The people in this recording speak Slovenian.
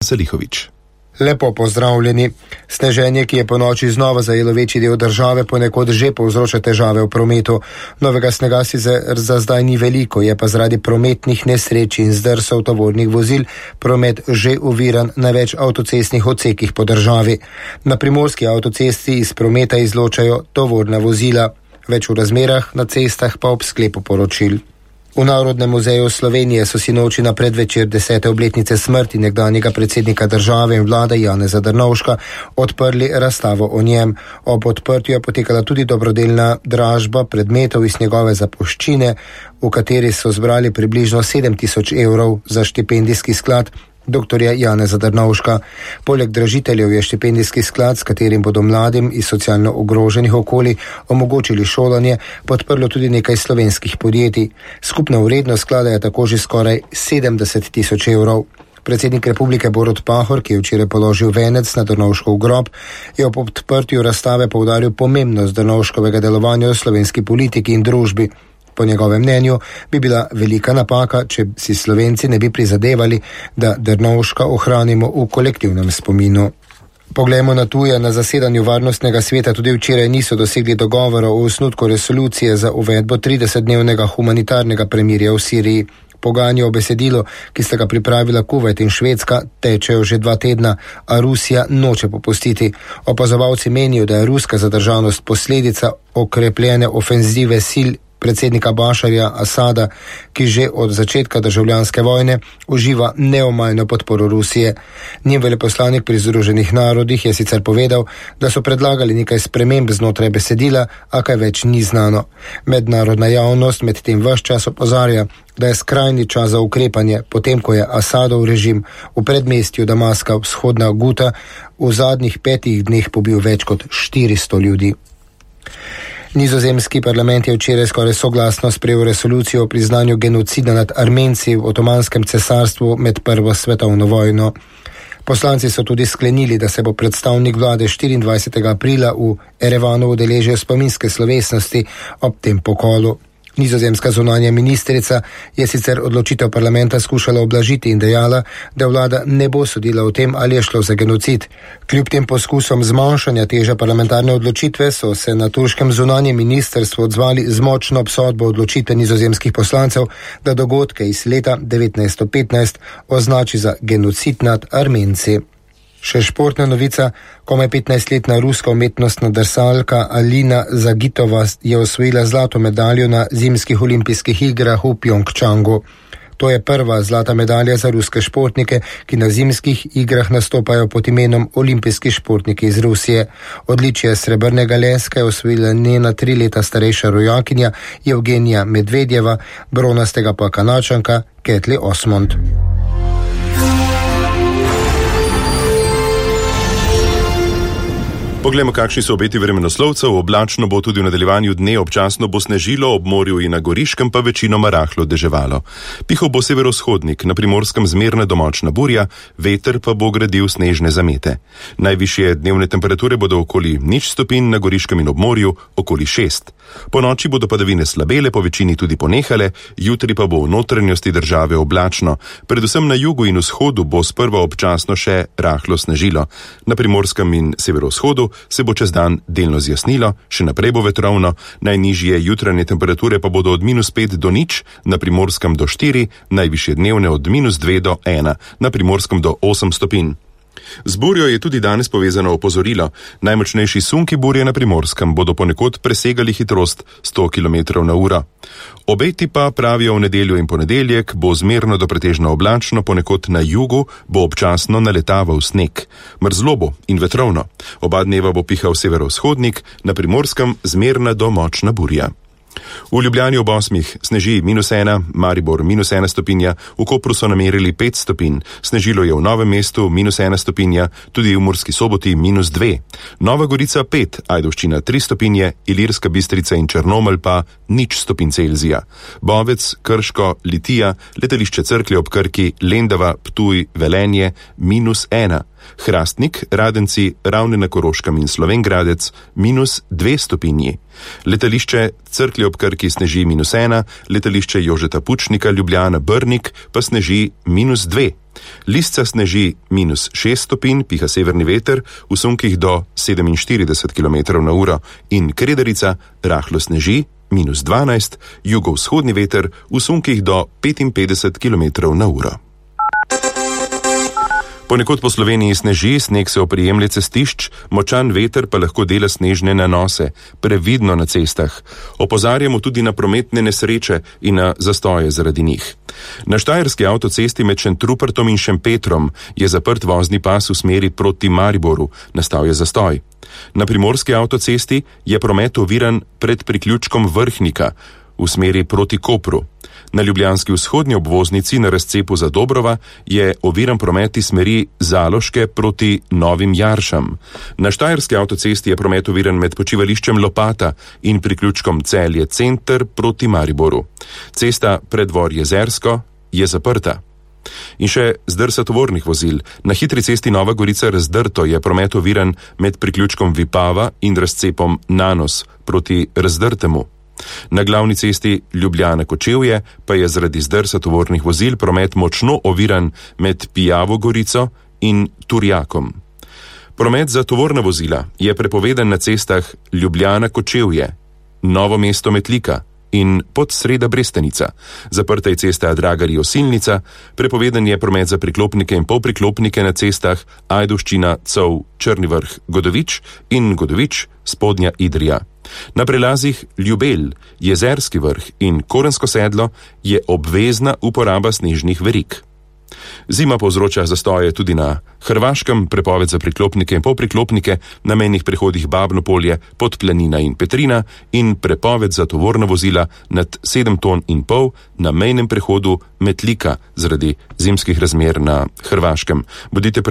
Salihović. Lepo pozdravljeni. Sneženje, ki je po noči znova zajelo večji del države, ponekod že povzroča težave v prometu. Novega snega sicer za zdaj ni veliko, je pa zaradi prometnih nesreč in zdrsov tovornih vozil promet že oviran na več avtocestnih odsekih po državi. Na primorski avtocesti iz prometa izločajo tovorna vozila. Več v razmerah na cestah pa ob sklepu poročil. V Narodnem muzeju Slovenije so sinoči na predvečer 10. obletnice smrti nekdanjega predsednika države in vlade Janeza Drnovška odprli razstavo o njem. Ob odprtju je potekala tudi dobrodelna dražba predmetov iz njegove zapuščine, v kateri so zbrali približno 7.000 evrov za štipendijski sklad dr. Janeza Drnovška. Poleg dražiteljev je štipendijski sklad, s katerim bodo mladim iz socialno ogroženih okolij omogočili šolanje, podprlo tudi nekaj slovenskih podjetij. Skupna vrednost sklada je tako že skoraj 70.000 evrov. Predsednik republike Borut Pahor, ki je včeraj položil venec na Drnovškov grob, je ob odprtju razstave poudaril pomembnost Drnovškovega delovanja v slovenski politiki in družbi. Po njegovem mnenju bi bila velika napaka, če si Slovenci ne bi prizadevali, da Drnovška ohranimo v kolektivnem spominu. Poglejmo na tuje. Na zasedanju Varnostnega sveta tudi včeraj niso dosegli dogovora o osnutku resolucije za uvedbo 30-dnevnega humanitarnega premirja v Siriji. Pogajanja o besedilu, ki sta ga pripravila Kuvajt in Švedska, tečejo že 2 tedna, a Rusija noče popustiti. Opazovalci menijo, da je ruska zadržanost posledica okrepljene ofenzive sil predsednika Bašarja Asada, ki že od začetka državljanske vojne uživa neomajno podporo Rusije. Njen veleposlanik pri Združenih narodih je sicer povedal, da so predlagali nekaj sprememb znotraj besedila, a kaj več ni znano. Mednarodna javnost medtem ves čas opozarja, da je skrajni čas za ukrepanje, potem ko je Asadov režim v predmestju Damaska vzhodna Guta v zadnjih 5 dneh pobil več kot 400 ljudi. Nizozemski parlament je včeraj skoraj soglasno sprejel resolucijo o priznanju genocida nad Armenci v Otomanskem cesarstvu med Prvo svetovno vojno. Poslanci so tudi sklenili, da se bo predstavnik vlade 24. aprila v Erevanu udeležil spominske slovesnosti ob tem pokolu. Nizozemska zunanja ministrica je sicer odločitev parlamenta skušala ublažiti in dejala, da vlada ne bo sodila o tem, ali je šlo za genocid. Kljub tem poskusom zmanjšanja teže parlamentarne odločitve so se na turškem zunanjem ministrstvu odzvali z močno obsodbo odločitve nizozemskih poslancev, da dogodke iz leta 1915 označi za genocid nad Armenci. Še športna novica. Komaj 15-letna ruska umetnostna drsalka Alina Zagitova je osvojila zlato medaljo na zimskih olimpijskih igrah v Pjongčangu. To je prva zlata medalja za ruske športnike, ki na zimskih igrah nastopajo pod imenom olimpijski športniki iz Rusije. Odličje srebrnega leska je osvojila njena 3 leta starejša rojakinja Evgenija Medvedjeva, bronastega pa Kanačanka Ketli Osmond. Poglejmo, kakšni so obeti vremenoslovcev. Oblačno bo tudi v nadaljevanju dne, občasno bo snežilo, ob morju in na Goriškem pa večinoma rahlo deževalo. Pihal bo severovzhodnik, na Primorskem zmerna do močna burja, veter pa bo gradil snežne zamete. Najvišje dnevne temperature bodo okoli 0 stopinj, na Goriškem in ob morju okoli 6. Po noči bodo padavine slabele, po večini tudi ponehale, jutri pa bo v notranjosti države oblačno. Predvsem na jugu in vzhodu bo sprva občasno še rahlo snežilo. Na Primorskem in severovzhodu se bo čez dan delno zjasnilo, še naprej bo vetrovno, najnižje jutranje temperature pa bodo od -5 do 0, na Primorskem do 4, najvišje dnevne od -2 do 1, na Primorskem do 8 stopinj. Z burjo je tudi danes povezano opozorilo. Najmočnejši sunki burje na Primorskem bodo ponekod presegali hitrost 100 km/h. Obeti pa pravijo v nedeljo in ponedeljek bo zmerno do pretežno oblačno, ponekod na jugu bo občasno naletaval sneg. Mrzlo bo in vetrovno. Oba dneva bo pihal severovzhodnik, na Primorskem zmerna do močna burja. V Ljubljani ob 8 sneži -1, Maribor -1 stopinja, v Kopru so namerili 5 stopinj, snežilo je v Novem mestu -1 stopinja, tudi v Murski Soboti -2, Nova Gorica 5, Ajdovščina 3 stopinje, Ilirska Bistrica in Črnomelj pa 0 stopinj Celzija. Bovec, Krško, Litija, letališče Cerklje ob Krki, Lendava, Ptuj, Velenje -1. Hrastnik, Radenci, Ravne na Koroškem in Slovenj Gradec -2 stopinji. Letališče Cerklje ob Krki sneži -1, letališče Jožeta Pučnika Ljubljana Brnik pa sneži -2. Lisca sneži -6 stopinj, piha severni veter v sunkih do 47 km/h in Kredarica rahlo sneži -12, jugovzhodni veter v sunkih do 55 km/h. Ponekod po Sloveniji sneži, sneg se oprijemlje cestišč, močan veter pa lahko dela snežne nanose, previdno na cestah. Opozarjamo tudi na prometne nesreče in na zastoje zaradi njih. Na štajerski avtocesti med Šentrupertom in Šempetrom je zaprt vozni pas v smeri proti Mariboru, nastal je zastoj. Na primorski avtocesti je promet oviran pred priključkom Vrhnika v smeri proti Kopru. Na ljubljanski vzhodnji obvoznici na razcepu za Dobrova je oviran promet iz smeri Zaloške proti Novim Jaršam. Na štajerski avtocesti je promet oviran med počivališčem Lopata in priključkom Celje Center proti Mariboru. Cesta Preddvor Jezersko je zaprta. In še zdrsa tovornih vozil. Na hitri cesti Nova Gorica Razdrto je promet oviran med priključkom Vipava in razcepom Nanos proti Razdrtemu. Na glavni cesti Ljubljana-Kočevje pa je zaradi zdrsa tovornih vozil promet močno oviran med Pijavo Gorico in Turjakom. Promet za tovorna vozila je prepovedan na cestah Ljubljana-Kočevje, Novo mesto Metlika in Podsreda Brestanica. Zaprta je cesta Dragari-Osilnica, prepovedan je promet za priklopnike in polpriklopnike na cestah Ajdovščina-Cov Črni Vrh-Godovič in Godovič-Spodnja Idrija. Na prelazih Ljubelj, Jezerski Vrh in Korensko sedlo je obvezna uporaba snežnih verig. Zima povzroča zastoje tudi na Hrvaškem, prepoved za priklopnike in polpriklopnike na mejnih prehodih Babno Polje, Podplanina in Petrina in prepoved za tovorna vozila nad 7,5 ton na mejnem prehodu Metlika zaradi zimskih razmer na Hrvaškem. Bodite